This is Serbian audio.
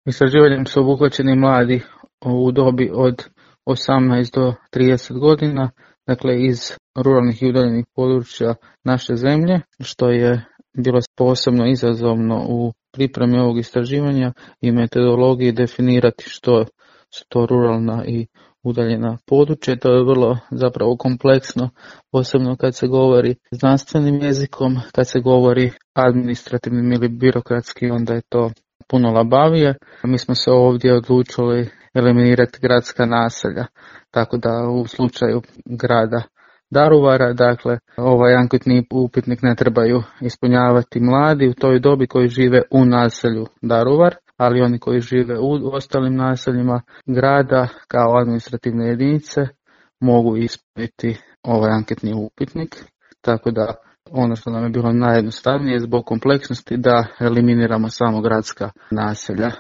Istraživanjem su obuhvaćeni mladi u dobi od 18 do 30 godina, dakle iz ruralnih i udaljenih područja naše zemlje, što je bilo posebno izazovno u pripremi ovog istraživanja i metodologiji definirati što su to ruralna i udaljena područja. To je vrlo zapravo kompleksno, posebno kad se govori znanstvenim jezikom, kad se govori administrativnim ili birokratski, onda je to puno labavije. Mi smo se ovdje odlučili eliminirati gradska naselja, tako da u slučaju grada Daruvara, dakle, ovaj anketni upitnik ne trebaju ispunjavati mladi u toj dobi koji žive u naselju Daruvar, ali oni koji žive u ostalim naseljima grada kao administrativne jedinice mogu ispuniti ovaj anketni upitnik, tako da ono što nam je bilo najjednostavnije zbog kompleksnosti da eliminiramo samo gradska naselja.